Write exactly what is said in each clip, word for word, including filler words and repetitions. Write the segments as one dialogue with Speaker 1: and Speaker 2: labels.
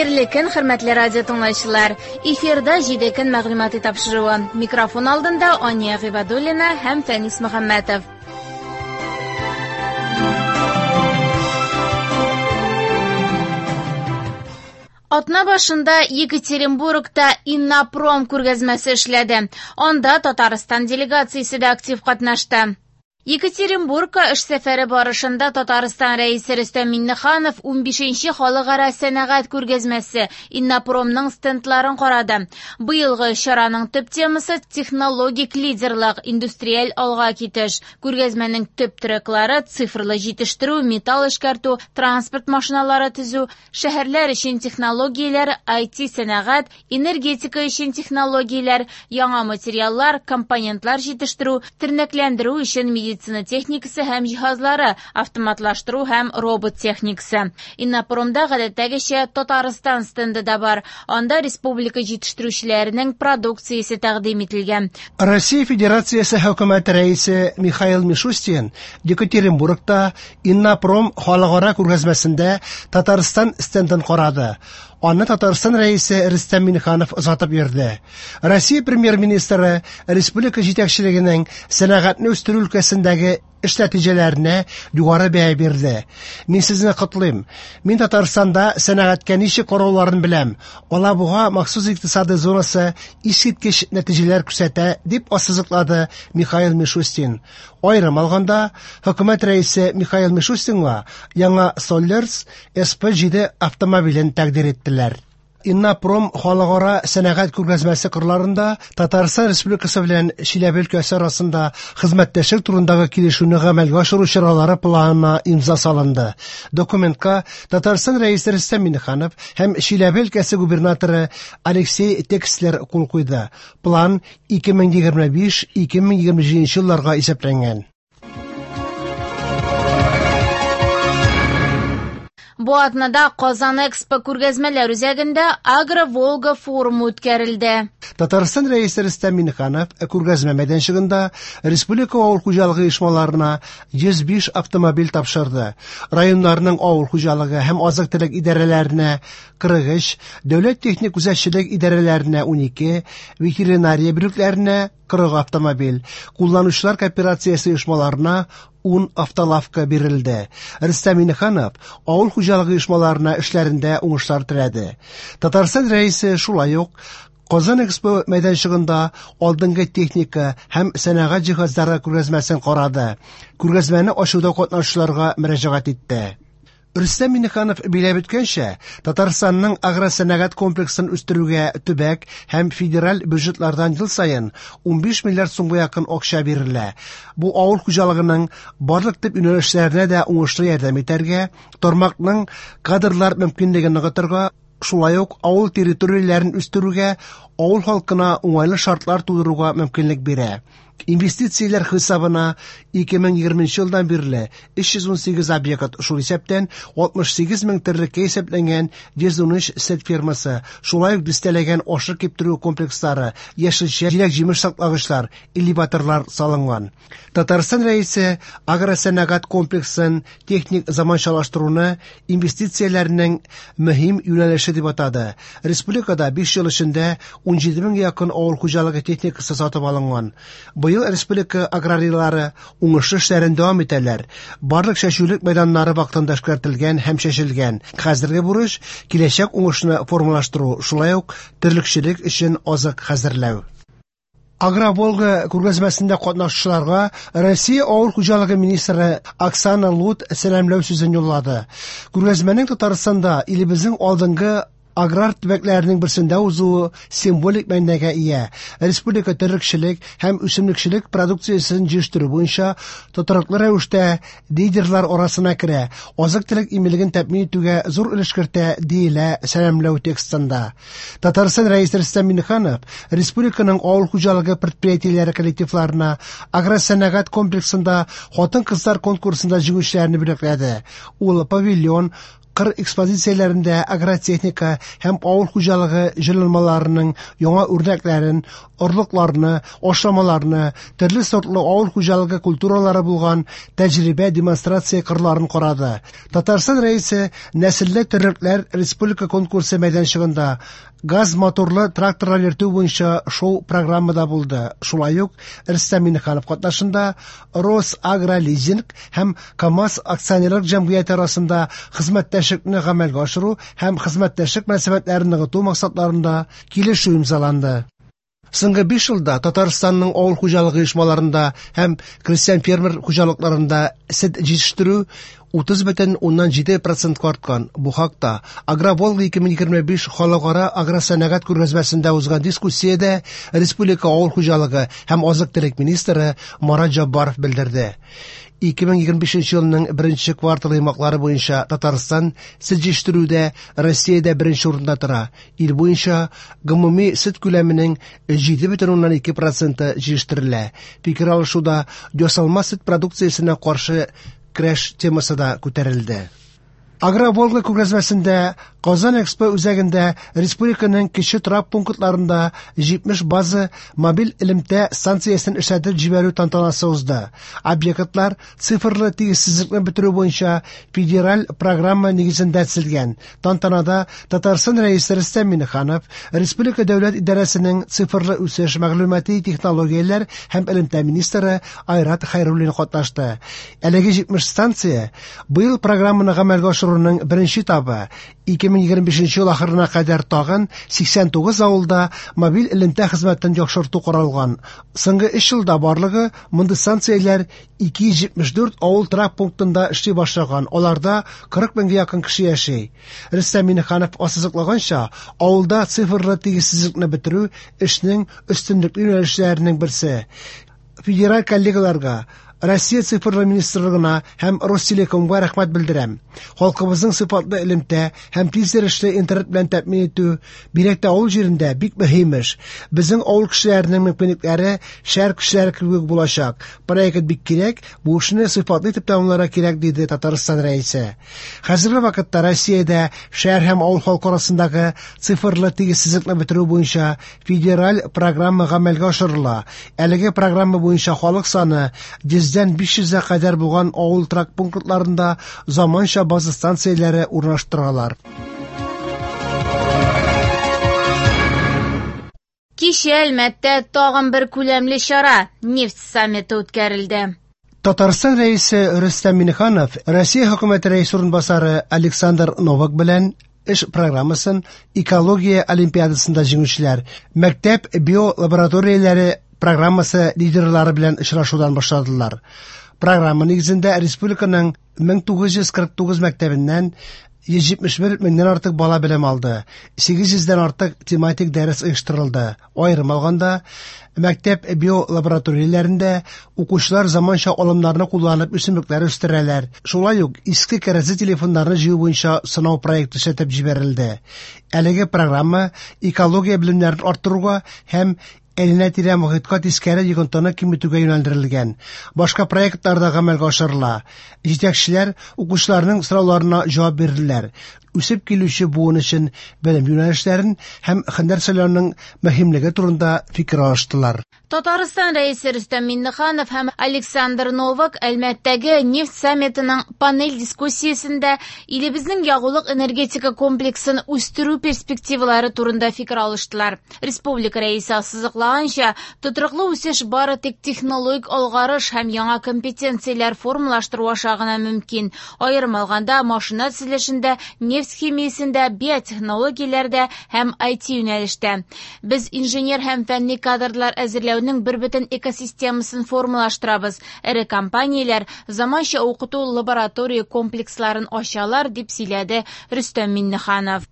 Speaker 1: Хәерле көн, хөрмәтле радио тыңлаучылар. Эфирда җиде көн мәгълүмати тапшыруы. Микрофон алдында Ания Гыйбадуллина һәм Фәнис Мөхәммәтов. Атна башында Екатеринбургта Иннопром күргәзмәсе эшләде. Анда Татарстан делегациясе дә актив катнашты. Екатеринбургка эш сәфәре барышында Татарстан рәисе Рөстәм Миңнеханов унбишенче халыкара сәнәгать күргәзмәсе Иннопромның стендларын карады. Быелгы чараның төп темасы технологик лидерлык, индустриаль алга китеш. Күргәзмәнең төп треклары цифрлы җитештерү, металл эшкәртү, транспорт машиналары төзү, шәһәрләр өчен технологияләр, ай ти сәнәгать, энергетика өчен технологияләр, яңа материаллар, компонентлар җитештерү, тернәкләндерү өчен медицина медицина техникасы һәм җиһазлары, автоматлаштыру һәм робот техникасы. Иннопромда гадәттәгечә Татарстан стенды да бар. Анда республика җитештерүчеләренең продукциясе тәкъдим ителгән.
Speaker 2: Россия Федерациясе хөкүмәте рәисе Михаил Мишустин Екатеринбургта Иннопром халыкара күргәзмәсендә Татарстан стендын карады. Аны Татарстан рәисе Рөстәм Миңнеханов озатып йөрде. Россия премьер-министры республика җитәкчелегенең сәнәгатьне үстерү өлкәсендәге эш нәтиҗәләренә югары бәя бирде. Мин сезне котлыйм. Мин Татарстанда сәнәгатькә ничек карауларын беләм. Алабуга махсус икътисади зонасы искиткеч нәтиҗәләр күрсәтә, дип ассызыклады Михаил Мишустин. Аерым алганда, хөкүмәт рәисе Михаил Мишустинга яңа Соллерс эс пэ җиде автомобилен тәкъдир иттеләр. Иннопром халыкара сәнәгать күргәзмәсе кырларында Татарстан Республикасы белән Чиләбе өлкәсе арасында хезмәттәшлек турындагы килешүне гамәлгә ашыру чаралары планына имза салынды. Документка Татарстан рәисе Рөстәм Миңнеханов һәм Чиләбе өлкәсе губернаторы Алексей Текслер кул куйды. План ике мең егерме биш - ике мең егерме җиденче елларга исәпләнгән.
Speaker 1: Бу атнада Казан Экспо күргәзмәләр үзәгендә Агро-Волга форумы үткәрелде.
Speaker 2: Татарстан рәисе Рөстәм Миңнеханов күргәзмә мәйданчыгында республика авыл хуҗалыгы оешмаларына йөз биш автомобиль тапшырды. Районнарның авыл хуҗалыгы һәм азык-төлек идарәләренә кырык өч, дәүләт техник күзәтчелек идарәләренә унике, ветеринария бүлекләренә кырык автомобиль, кулланучылар кооперациясе оешмаларына ун автолавка бирелде. Рөстәм Миңнеханов авыл хуҗалыгы оешмаларына эшләрендә уңышлар теләде. Татарстан рәисе шулай ук Казан Экспо мәйданчыгында алдынгы техника һәм сәнәгать җиһазлары күргәзмәсен карады. Күргәзмәне ачуда катнашучыларга мөрәҗәгать итте. Рөстәм Миңнеханов биләп үткәнчә, Татарстанның агросәнәгать комплексын үстерүгә төбәк һәм федераль бюджетлардан ел саен унбиш миллиард сумга якын акча бирелә. Бу авыл хуҗалыгының барлык төп юнәлешләренә дә уңышлы ярдәм итәргә, тармакның кадрлар мөмкинлеген ныгытырга, шулай ук авыл территорияләрен үстерүгә, авыл халкына уңайлы шартлар тудыруга мөмкинлек бирә. Инвестицияләр хисабына ике мең егерменче елдан бирле өч йөз ун сигез объект, шул исәптән алтмыш сигез мең терлеккә исәпләнгән йөз ун өч сөт фермасы, шулай ук дистәләгән ашык киптерү комплекслары, яшелчә, җиләк-җимеш саклагычлар, элеваторлар салынган. Татарстан рәисе агросәнәгать комплексын техник заманчалаштыруны инвестицияләрнең мөһим юнәлеше дип атады. Республикада биш ел эчендә ун җиде меңгә якын авыл хуҗалыгы техникасы сатып алынган. Быел республика аграрийлары уңышлы эшләрен дәвам итәләр. Барлык чәчүлек мәйданнары вакытында эшкәртелгән һәм чәчелгән. Хәзерге бурыч киләчәк уңышны формалаштыру, шулай ук терлекчелек өчен азык хәзерләү. Агро-Волга күргәзмәсендә катнашучыларга Россия авыл хуҗалыгы министры Оксана Лут сәламләү сүзен юллады. Күргәзмәнең Татарстанда илебезнең алдынгы аграр төбәкләренең берсендә узуы символик мәгънәгә ия. Республика терлекчелек һәм үсемлекчелек продукциясен җитештерү буенча тотрыклы рәвештә лидерлар арасына керә, азык-төлек иминлеген тәэмин итүгә зур өлеш кертә, диелә сәламләү текстында. Татарстан рәисе Рөстәм Миңнеханов республиканың авыл хуҗалыгы предприятиеләре коллективларына агросәнәгать комплексында хатын-кызлар конкурсында җиңүчеләрне бүләкләде. Ул павильон кыр экспозицияләрендә агротехника һәм авыл хуҗалыгы җайланмаларының яңа үрнәкләрен орлыкларны, ашламаларны, төрле сортлы авыл хуҗалыгы культуралары булган тәҗрибә демонстрация кырларын карады. Татарстан Рәисе нәселле терлекләр республика конкурсы мәйданчыгында газ моторлы тракторлар йөртү буенча шоу программада булды. Шулай ук Рөстәм Миңнеханов катнашында Росагролизинг һәм КАМАЗ акционерлык җәмгыяте арасында хезмәттәшлекне гамәлгә ашыру һәм хезмәттәшлек мөнәсәбәтләрен ныгыту максатларында килешү имзаланды. Соңгы биш елда Татарстанның авыл хуҗалыгы оешмаларында һәм крестьян фермер хуҗалыкларында сөт җитештерү утыз бөтен уннан җиде процентка арткан. Бу хакта Агроволга ике мең егерме биш халыкара агросәнәгать күргәзмәсендә узган дискуссиядә республика авыл хуҗалыгы һәм азык-төлек министры Марат Җаббаров белдерде. ике мең егерме бишенче елның беренче кварталы йомгаклары буенча Татарстан сөт җитештерүдә Россиядә беренче урында тора. Ил буенча гомуми сөт күләменең җиде бөтен уннан ике проценты җитештерелә. Фикер алышуда ясалма сөт продукциясенә каршы көрәш темасы да күтәрелде. Агроволга күргәзмәсендә Казан Экспо үзәгендә республиканың кече торак пунктларында җитмеш база мобиль элемтә станциясен эшләтеп җибәрү тантанасы узды. Объектлар цифрлы тигезсезлекне бетерү буенча федераль программа нигезендә төзелгән. Тантанада Татарстан Рәисе Рөстәм Миңнеханов, Республика дәүләт идарәсенең цифрлы үсеш, мәгълүмати технологияләр һәм элемтә министры Айрат Хәйруллин катнашты. Әлеге җитмеш станция быел программаны гамәлгә ашыруның беренче этабы. ике мең егерме бишенче ел ахырына кадәр тагын сиксән тугыз авылда мобиль элемтә хезмәтен яхшырту каралган. Соңгы өч елда барлыгы мондый станцияләр ике йөз җитмеш дүрт авыл торак пунктында эшли башлаган. Аларда кырык меңгә якын кеше яши. Рөстәм Миңнеханов ассызыклаганча, авылда цифрлы тигезсезлекне бетерү эшнең өстенлекле юнәлешләренең берсе. Федераль коллегаларга, Россия цифрлы министрлыгына һәм Ростелекомга рәхмәт белдерәм. Халкыбызның сыйфатлы элемтә һәм тиз йөрешле интернет белән тәэмин итү бигрәк тә авыл җирендә бик мөһим эш. Безнең авыл кешеләренең мөмкинлекләре шәһәр кешеләре кебек булачак. Проект бик кирәк, бу эшне сыйфатлы итеп тәмамларга кирәк, диде Татарстан Рәисе. Хәзерге вакытта Россиядә шәһәр һәм авыл халкы арасындагы цифрлы тигезсезлекне бетерү буенча федераль программа гамәлгә ашырыла. Әлеге программа буенча халык саны йөздән биш йөзгә кадәр булган авыл торак пунктларында заманча база станцияләре урнаштыралар.
Speaker 1: Кичә Әлмәттә тагын бер күләмле чара нефть саммиты үткәрелде.
Speaker 2: Татарстан Рәисе Рөстәм Миңнеханов Россия хөкүмәте рәисе урынбасары Александр Новак белән эш программасын экология олимпиадасында җиңүчеләр, мәктәп биолабораторияләре программасы лидерлары белән очрашудан башладылар. Программа нигезендә республиканың мең тугыз йөз кырык тугыз мәктәбеннән йөз җитмеш бер меңнән артык бала белем алды. Сигез йөздән артык тематик дәрес оештырылды. Аерым алганда, мәктәп биолабораторияләрендә укучылар заманча алымнарны кулланып үсемлекләр үстерәләр. Шулай ук иске кәрәзле телефоннарны җыю буенча сынау проекты эшләтеп җибәрелде. Әлеге программа экология белемнәрен арттыруга һәм әйләнә-тирә мохиткә тискәре йогынтыны киметүгә юнәлдерелгән. Башка проектлар да гамәлгә ашырыла. Җитәкчеләр укучыларның сорауларына җавап бирделәр. Үсеп килүче буын өчен белем юнәлешләрен һәм һөнәр сайлауның мөһимлеге турында фикер алыштылар.
Speaker 1: Татарстан Рәисе Рөстәм Миңнеханов һәм Александр Новак Әлмәттәге нефть саммитының панель дискуссиясендә илебезнең ягулык энергетика комплексын үстерү перспективалары турында фикер алыштылар. Республика Рәисе ассызыклаганча, тотрыклы үсеш бары тик технологик алгарыш һәм яңа компетенцияләр формалаштыру аша гына мөмкин. Аерым алганда, машина төзелешендә, нефть химиясендә, биотехнологияләрдә һәм ай ти юнәлештә. Без инженер һәм фәнни кадрлар әзерләүнең бер бөтен экосистемасын формалаштырабыз. Эре компанияләр заманча укыту лаборатория комплексларын ачалар, дип сөйләде Рөстәм Миңнеханов.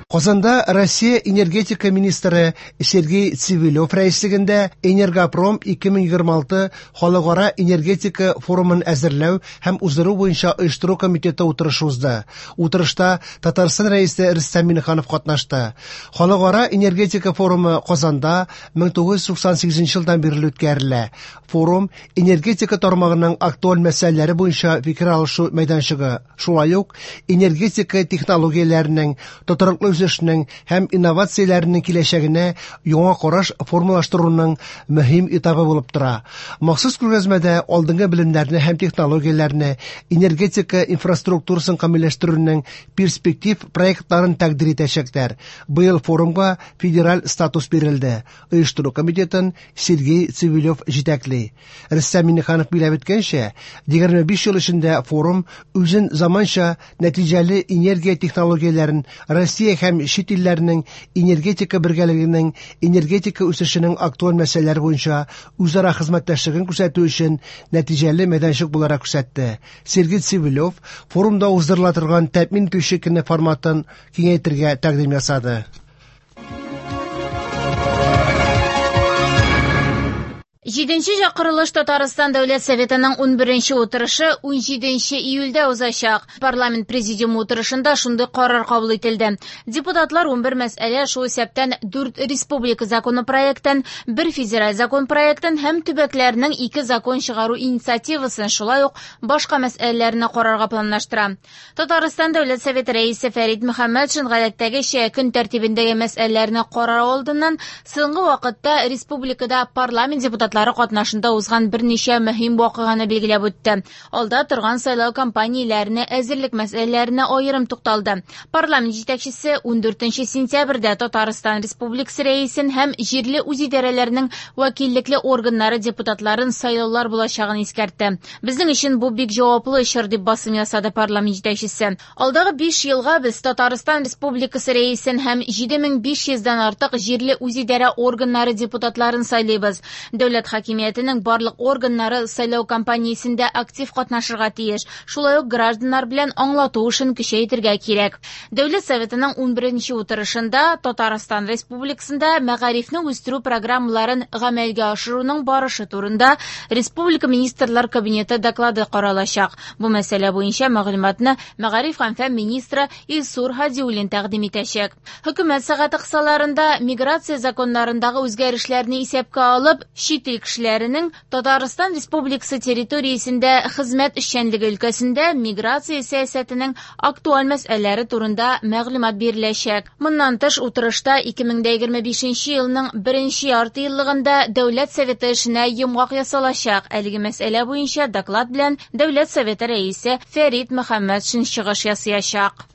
Speaker 2: Казанда Россия энергетика министры Сергей Цивилев рәислегендә Энергопром ике мең егерме алты халыкара энергетика форумын әзерләү һәм уздыру буенча оештыру комитеты утырышы узды. Утырышта Татарстан Рәисе Рөстәм Миңнеханов катнашты. Халыкара энергетика форумы Казанда мең тугыз йөз туксан сигезенче елдан бирле үткәрелә. Форум энергетика тармагының актуаль мәсьәләләре буенча фикер алышу мәйданчыгы, шулай ук энергетика технологияләренең тотрыклы үсешенең һәм инновацияләренең киләчәгенә яңа караш формалаштыруның мөһим этабы булып тора. Махсус күргәзмәдә алдынгы белемнәрне һәм технологияләрне, энергетика инфраструктурасын камилләштерүнең перспектив проектларын тәкъдир итәчәкләр. Быел форумга федераль статус бирелде. Оештыру комитетын Сергей Цивилев җитәкли. Рөстәм Миңнеханов билгеләп үткәнчә, егерме биш ел эчендә форум үзен заманча нәтиҗәле энергия технологияләрен Россия һәм чит илләрнең энергетика бергәлегенең энергетика үсешенең актуаль мәсьәләләре буенча үзара хезмәттәшлеген күрсәтү өчен нәтиҗәле мәйданчык буларак күрсәтте. Сергей Цивилев форумда уздырыла торган тәэмин итүче көне форматын киңәйтергә тәкъдим ясады.
Speaker 1: Җиденче чакырылыш Татарстан Дәүләт Советының унберенче утырышы унҗиденче июльдә узачак. Парламент президиумы утырышында шундый карар кабул ителде. Депутатлар унбер мәсьәлә, шул исәптән дүрт республика законопроектын, бер федераль закон проектын һәм төбәкләрнең ике закон чыгару инициативасын, шулай ук башка мәсьәләләрне карарга планлаштыра. Татарстан Дәүләт Советы рәисе Фәрит Мөхәммәтшин гадәттәгечә көн тәртибендәге мәсьәләләрне карар алдыннан соңгы вакытта республикада парламент депутатлары катнашында узган берничә мөһим вакыйганы билгеләп үтте. Алда торган сайлау кампанияләренә әзерлек мәсьәләләренә аерым тукталды. Парламент җитәкчесе ундүртенче сентябрьдә Татарстан Республикасы рәисен һәм җирле үзидарәләрнең вәкиллекле органнары депутатларын сайлаулар булачагын искәртте. Безнең өчен бу бик җаваплы чор, дип басым ясады парламент җитәкчесе. Алдагы биш елга без Татарстан Республикасы рәисен һәм җиде мең биш йөздән артык җирле үзидарә органнары депутатларын сайлыйбыз. Дәүләт хакимиятенең барлык органнары сайлау кампаниясендә актив катнашырга тиеш. Шулай ук гражданнар белән аңлату эшен көчәйтергә кирәк. Дәүләт Советының унберенче утырышында Татарстан Республикасында мәгарифне үстерү программаларын гамәлгә ашыруның барышы турында Республика Министрлар Кабинеты доклады каралачак. Бу мәсьәлә буенча мәгълүматны мәгариф һәм фән министры Илсур Һадиуллин тәкъдим итәчәк. Хөкүмәт сәгате кысаларында миграция законнарындагы үзгәрешләрне исәпкә алып, чит ил кешеләренең Татарстан Республикасы территориясендә хезмәт эшчәнлеге өлкәсендә миграция сәясәтенең актуаль мәсьәләләре турында мәгълүмат биреләчәк. Моннан тыш утырышта ике мең егерме бишенче елның беренче ярты еллыгында Дәүләт Советы эшенә йомгак ясалачак. Әлеге мәсьәлә буенча доклад белән Дәүләт Советы рәисе Фәрит Мөхәммәтшин чыгыш ясаячак.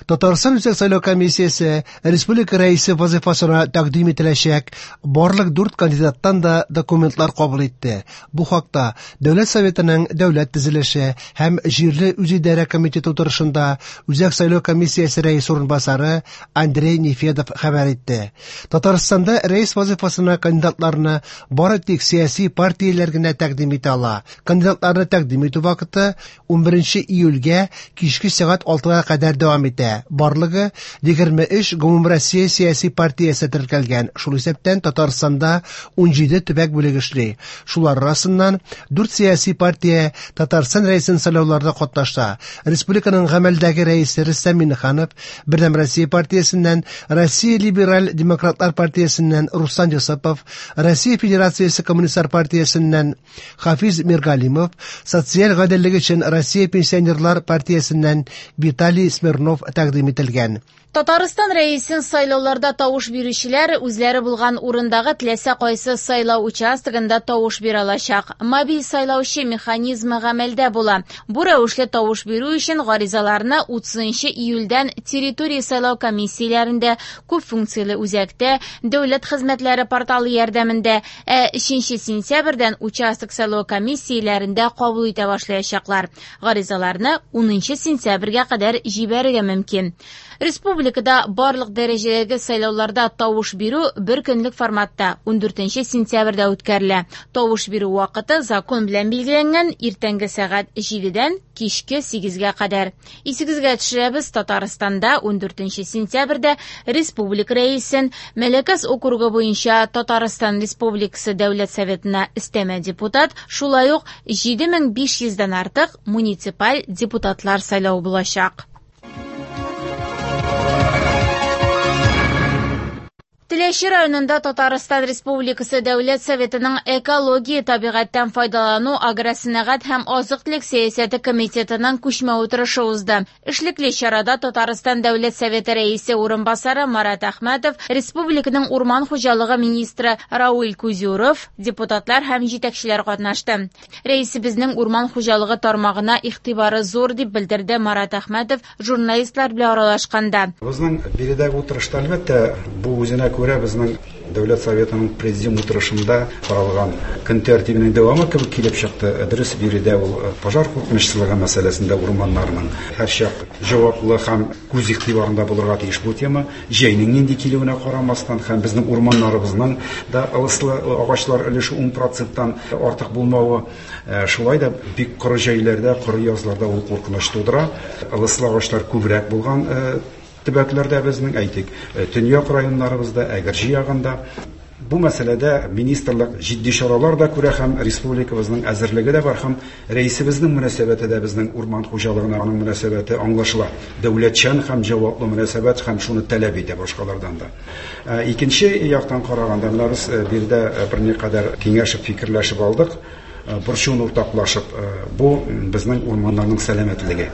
Speaker 2: Татарстан Үзәк сайлау комиссиясе республика рәисе вазифасына тәкъдим ителәчәк барлык дүрт кандидаттан да документлар кабул итте. Бу хакта Дәүләт Советының Дәүләт төзелеше һәм җирле үзидарә комитеты утырышында Үзәк сайлау комиссиясе рәисе урынбасары Андрей Нефедов хәбәр итте. Татарстанда рәис вазифасына кандидатларны бары тик сәяси партияләр генә тәкъдим итә ала. Кандидатларны тәкъдим итү вакыты унберенче июльгә кичке сәгать алтыга кадәр дәвам итә. Барлыгы егерме өч гомумроссия сәяси партиясе теркәлгән. Шул исәптән Татарстанда унҗиде төбәк бүлеге эшли. Шулар арасыннан дүрт сәяси партия Татарстан рәисен сайлауларда катнаша. Республиканың гамәлдәге рәисе Рөстәм Миңнеханов, Бердәм Россия партиясеннән, Россия либераль демократлар партиясеннән Руслан Йосыпов, Россия Федерациясе коммунистлар партиясеннән Хафиз Миргалимов, социаль гаделлек өчен Россия пенсионерлар партиясеннән Виталий Смирнов тәкъдим ителгән.
Speaker 1: Татарстан рәисен сайлауларда тавыш бирүчеләр үзләре булган урындагы теләсә кайсы сайлау участогында тавыш бирә алачак. Мобиль сайлаучы механизмы гамәлдә була. Бу рәвешле тавыш бирү өчен гаризаларны утызынчы июльдән территория сайлау комиссияләрендә, күп функцияле үзәктә, дәүләт хезмәтләре порталы ярдәмендә, ә өченче сентябрьдән участок сайлау комиссияләрендә кабул итә башлаячаклар. Гаризаларны унынчы сентябрьгә кадәр җибәрергә мөмкин. Республикада барлык дәрәҗәдәге сайлауларда тавыш бирү бер көнлек форматта ундүртенче сентябрьдә үткәрелә. Тавыш бирү вакыты закон белән билгеләнгән иртәнге сәгать җидедән кичке сигезгә кадәр. Исегезгә төшерәбез, Татарстанда ундүртенче сентябрьдә республика рәисен Мәләкәс округы буенча Татарстан Республикасы Дәүләт Советына өстәмә депутат, шулай ук җиде мең биш йөздән артык муниципаль депутатлар сайлау булачак. Теләче Теләче районында Татарстан Республикасы Дәүләт Советының экология, табигатьтән файдалану, агросәнәгать һәм азык-төлек сәясәте комитетының күчмә утырышы узды. Эшлекле чарада Татарстан Дәүләт Советы рәисе урынбасары Марат Әхмәтов, республиканың урман хуҗалыгы министры Рауль Кузюров, депутатлар һәм җитәкчеләр катнашты. Рәисебезнең урман хуҗалыгы тармагына игътибары зур дип белдерде Марат Әхмәтов журналистлар белән аралашканда.
Speaker 3: Безнең биредәге утырышта әлбәттә бу үзенә күрә безнең Дәүләт Советының президиум утырышында каралган көн тәртибенең дәвамы кебек килеп чыкты. Дөрес, биредә ул пожар куркынычсызлыгы мәсьәләсендә урманнарның һәрчак җаваплы һәм күз игътибарында булырга тиеш бу тема. Җәйнең нинди килүенә карамастан һәм безнең урманнарыбызның да ылыслы агачлар өлеше ун проценттан артык булмавы, шулай да бик коры җәйләрдә, коры язларда ул куркыныч тудыра. Ылыслы агачлар күбрәк булган төбәкләрдә безнең, әйтик, төньяк районнарыбызда, Әгерҗе ягында. Бу мәсьәләдә министрлык җитди чаралар да күрә һәм республикабызның әзерлеге дә бар һәм рәисебезнең мөнәсәбәте дә безнең урман хуҗалыгына аның мөнәсәбәте аңлашыла. Дәүләтчән һәм җаваплы мөнәсәбәт һәм шуны таләп итә башкалардан да. Икенче яктан караганда, менә без биредә берникадәр киңәшеп, фикерләшеп алдык, борчуын уртаклашып, бу безнең урманнарның сәламәтлеге.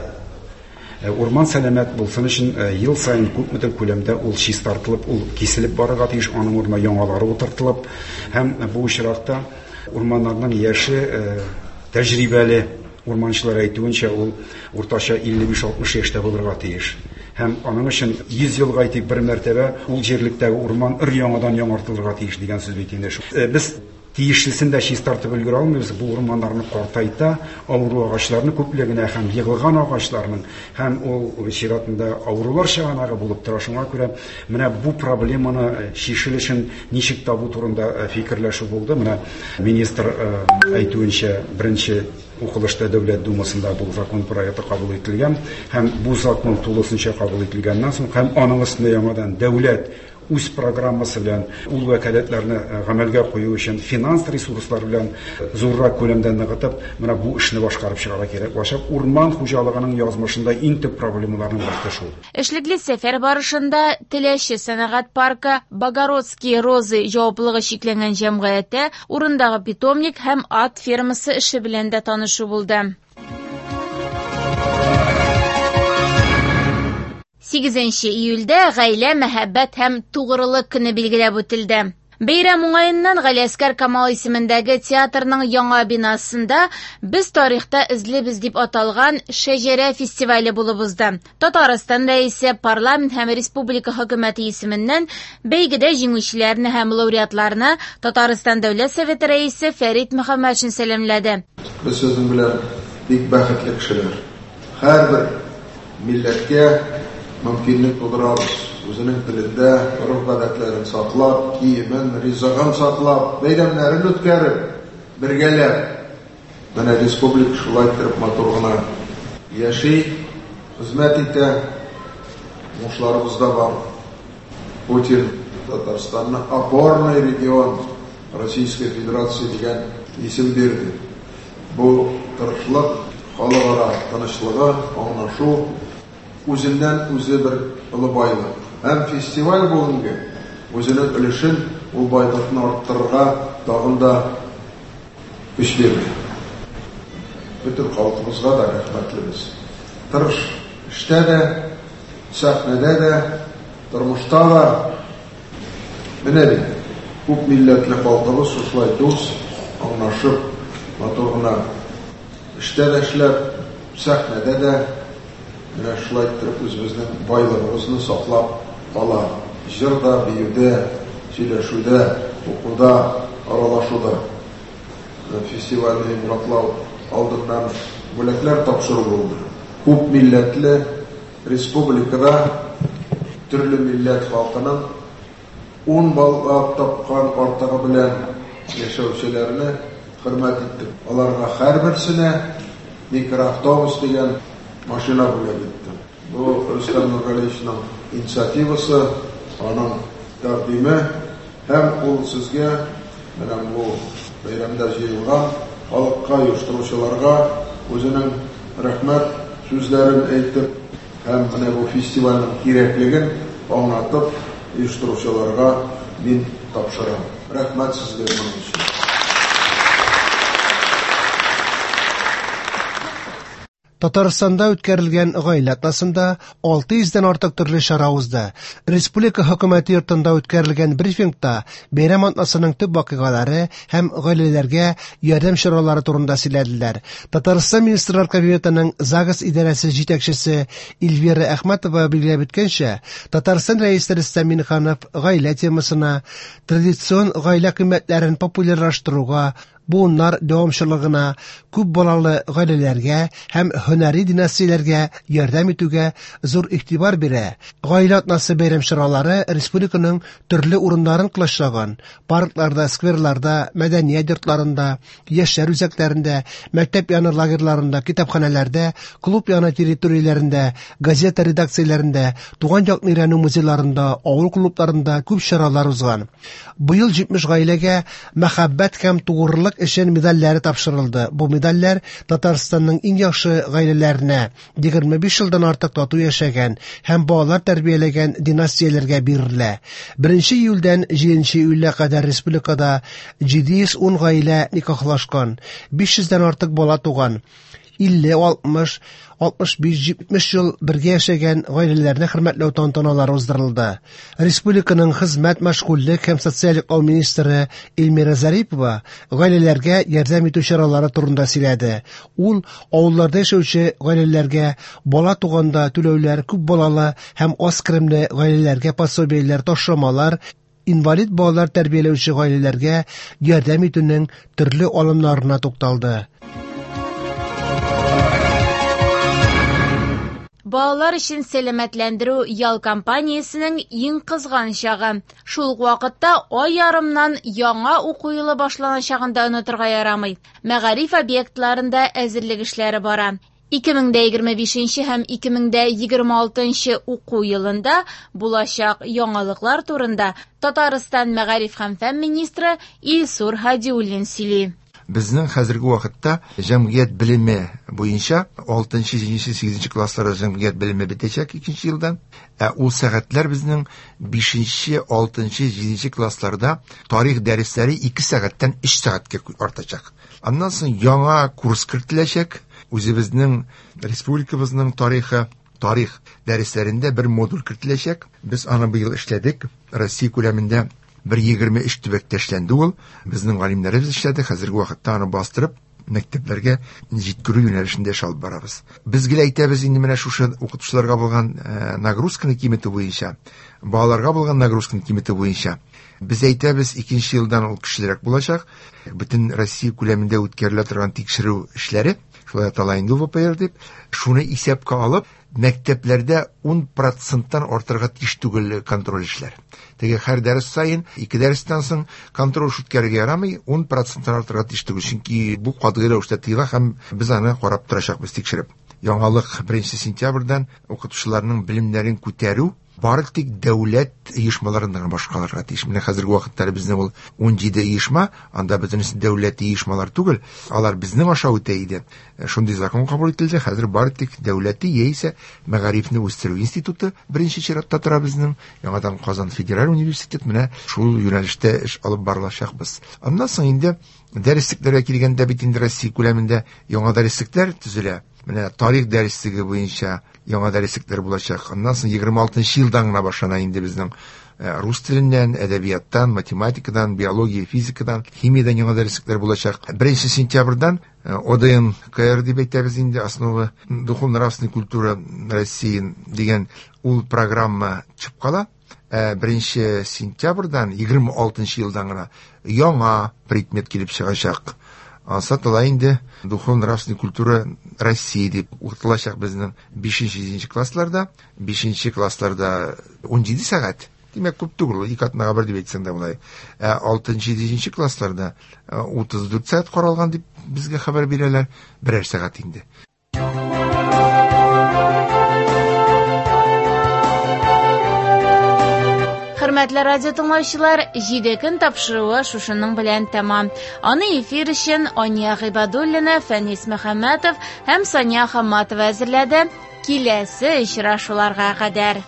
Speaker 3: Урман сәламәт булсын өчен ел саен күпмедер күләмдә ул чистартылып, ул киселеп барырга тиеш, аның урынына яңалары утыртылып, һәм бу очракта урманнарның яше тәҗрибәле урманчылар әйтүенчә ул уртача илле биш алтмыш яшьтә булырга тиеш. Һәм аның өчен йөз елга әйтик бер мәртәбә ул җирлектәге урман өр яңадан яңартылырга тиеш дигән сүз бит инде. Без тиешлесен дә чистартып өлгерә алмыйбыз. Бу урманнарны картайта, авыру агачларны күплегенә һәм егылган агачларның һәм ул чиратында авырулар чыганагы булып тора. Шуңа күрә менә бу проблеманы чишелешен ничек табу турында фикерләшү булды. Менә министр әйтүенчә, беренче укылышта Дәүләт Думасында бу закон проекты кабул ителгән һәм бу закон тулысынча кабул ителгәннән соң һәм аның өстендә яңадан дәүләт үз программасы белән ул вәкаләтләрне гамәлгә кую өчен финанс ресурслары белән зуррак күләмдә ныгытып, менә бу эшне башкарып чыгарга кирәк. Башак урман хуҗалыгының язмышында иң төп проблемаларның берсе шул.
Speaker 1: Эшлекле сәфәр барышында Теләче сәнәгать паркы Богородские розы җаваплылыгы чикләнгән җәмгыяте урындагы питомник һәм ат фермасы эше белән дә танышу булды. Сигезенче июльдә гаилә, мәхәббәт һәм тугрылык көне билгеләп үтелде. Бәйрәм уңаеннан Галиәскәр Камал исемендәге театрның яңа бинасында «Без тарихта эзлебез» дип аталган Шәҗәрә фестивале булып узды. Татарстан рәисе, парламент һәм республика хөкүмәте исеменнән бәйгедә җиңүчеләрне һәм лауреатларны Татарстан Дәүләт Советы рәисе Фәрит Мөхәммәтшин сәламләде.
Speaker 4: Без сезнең белән бик бәхетле кешеләр. Һәрбер милләткә мөмкинлек тудырабыз. Үзенең телендә гореф-гадәтләрен саклап, киемен, ризыгын саклап, бәйрәмнәрен үткәреп, бергәләп. Менә республика шулай итеп матур гына яши, хезмәт итә. Уңышларыбыз да бар. Путин Татарстанны опорный регион Российской Федерации дигән исем бирде. Бу тырышлык, халыкара тынычлыгы, аңлашу үзеннән үзе бер олы байлык. Һәм фестиваль бүгенге үзенең өлешен ул байлыкны арттырырга тагын да көч бирде. Бөтен халкыбызга да рәхмәтлебез. Тырыш эштә дә, сәхнәдә дә, тормышта да. Менә бит күп милләтле халкыбыз шушылай дус, аңлашып, матур гына эштә дә эшләп, сәхнәдә дә менә шулай итеп үзебезнең байлыгыбызны саклап кала. Җырда, биюдә, сөйләшүдә, укуда, аралашуда. Фестивальне йомгаклау алдыннан бүләкләр тапшыру булды. Күп милләтле республикада төрле милләт халкының ун баллап тапкан артыгы белән яшәүчеләрне хөрмәт иттек. Аларга һәрберсенә микроавтобус дигән машина бүләк итте. Бу Рөстәм Нургалиевичның инициативасы, аның тәкъдиме һәм ул сезгә менә бу бәйрәмдә җыелган халыкка, оештыручыларга үзенең рәхмәт сүзләрен әйтеп һәм менә бу фестивальнең кирәклеген аңлатып оештыручыларга мин тапшырам. Рәхмәт сезгә моның өчен.
Speaker 2: Татарстанда үткәрелгән гаилә атнасында алты йөздән артык төрле чара узды. Республика хөкүмәте йортында үткәрелгән брифингта бәйрәм атнасының төп вакыйгалары һәм гаиләләргә ярдәм чаралары турында сөйләделәр. Татарстан Министрлар Кабинетының ЗАГС идарәсе җитәкчесе Эльвира Әхмәтова билгеләп үткәнчә, Татарстан Рәисе Рөстәм Миңнеханов гаилә темасына, традицион гаилә кыйммәтләрен популярлаштыруга, буыннар дәвамчылыгына, күп балалы гаиләләргә һәм һөнәри династияләргә ярдәм итүгә зур игътибар бирә. Гаилә атнасы бәйрәм чаралары республиканың төрле урыннарын колачлаган. Паркларда, скверларда, мәдәният йортларында, яшьләр үзәкләрендә, мәктәп яны лагерьларында, китапханәләрдә, клуб яны территорияләрендә, газета редакцияләрендә, туган якны өйрәнү музейларында, авыл клубларында күп чаралар узган. Быел җитмеш гаиләгә мәхәббәт һәм тугрылык өчен медальләре тапшырылды. Бу медальләр Татарстанның иң яхшы гаиләләренә, егерме биш елдан артык тату яшәгән һәм балалар тәрбияләгән династияләргә бирелә. Беренче июльдән җиденче июльгә кадәр республикада җиде йөз ун гаилә никахлашкан, биш йөздән артык бала туган. Илле, алтмыш, алтмыш биш, җитмеш ел бергә яшәгән гаиләләрне хөрмәтләү тантаналары уздырылды. Республиканың хезмәт, мәшгульлек һәм социаль яклау министры Эльмира Зарипова гаиләләргә ярдәм итү чаралары турында сөйләде. Ул авылларда яшәүче гаиләләргә бала туганда түләүләр, күп балалы һәм аз керемле гаиләләргә пособиеләр, ташламалар, инвалид балалар тәрбияләүче гаиләләргә ярдәм итүнең төрле алымнарына тукталды.
Speaker 1: Балалар өчен сәламәтләндерү ял кампаниясенең иң кызган чагы. Шул ук вакытта ай ярымнан яңа уку елы башланачагын да онытырга ярамый. Мәгариф объектларында әзерлек эшләре бара. ике мең дә егерме бишенче һәм ике мең дә егерме алтынчы уку елында булачак яңалыклар турында Татарстан мәгариф һәм фән министры Илсур Һадиуллин сөйли.
Speaker 5: Безнең хәзерге вакытта җәмгыять белеме буенча алтынчы, җиденче, сигезенче классларда җәмгыять белеме бетәчәк икенче елдан. Ә ул сәгатьләр безнең бишенче, алтынчы, җиденче классларда тарих дәресләре ике сәгатьтән өч сәгатькә артачак. Аннан соң яңа курс кертеләчәк. Үзебезнең республикабызның тарихы, тарих дәресләрендә бер модуль кертеләчәк. Без аны быел эшләдек. Россия күләмендә бер егерме өч төбәктә эшләнде ул. Безнең галимнәребез эшләде. Хәзерге вакытта аны бастырып, мәктәпләргә җиткерү юнәлешендә эш алып барабыз. Без гел әйтәбез инде менә шушы укытучыларга булган, э, нагрузканы киметү буенча, балаларга булган нагрузканы киметү буенча. Без әйтәбез, икенче елдан ул көчлерәк булачак. Бөтен Россия күләмендә үткәрелә торган тикшерү эшләре, шулай атала инде В П Р дип, шуны исәпкә алып, мәктәпләрдә ун проценттан артырга тиеш түгел контроль эшләр. Теге һәр дәрес саен, ике дәрестән соң контроль эш үткәрергә ярамый, ун проценттан артырга тиеш түгел, чөнки бу катгый рәвештә тыела һәм без аны карап торачакбыз, тикшереп. Яңалык беренче сентябрьдән укытучыларның белемнәрен күтәрү бары тик дәүләт оешмаларында гына башкарылырга тиеш. Менә хәзерге вакытта безнең ул ун җиде оешма, анда бөтенесе дәүләт оешмалар түгел, алар безнең аша үтә иде. Шундый закон кабул ителде, хәзер бары тик дәүләти яисә мәгарифне үстерү институты беренче чиратта тора безнең. Яңадан Казан федераль университет, менә шул юнәлештә эш алып барылачакбыз. Аннан соң инде дәреслекләргә килгәндә бит инде Россия күләмендә яңа дәреслекләр төзелә. Менә тарих дәреслеге буенча яңа дәреслекләр булачак. Аннан соң егерме алтынчы елдан гына башлана инде безнең, э, рус теленнән, әдәбияттан, математикадан, биология, физикадан, химиядан яңа дәреслекләр булачак. Беренче сентябрьдән, э, О Д Н К Р дип әйтәбез инде, Основы духовно-нравственной культуры России дигән ул программа чыгып кала. Э, беренче сентябрьдән егерме алтынчы елдан гына яңа предмет килеп чыгачак. Ансат ала инде духовно-нравственная культура России дип укытылачак безнең бишенче, җиденче классларда. Бишенче классларда ун җиде сәгать. Димәк, күп түгел, ике атнага бер дип әйтсәң дә болай. Ә алтынчы, җиденче классларда, э, утыз дүрт сәгать каралган дип безгә хәбәр бирәләр, берәр сәгать инде.
Speaker 1: Хөрмәтле радио тыңлаучылар, җиде көн тапшыруы шушының белән тәмам. Аны эфир өчен Ания Гыйбадуллина, Фәнис Мөхәммәтов һәм Сания Хамматова әзерләде. Киләсе очрашуларга кадәр.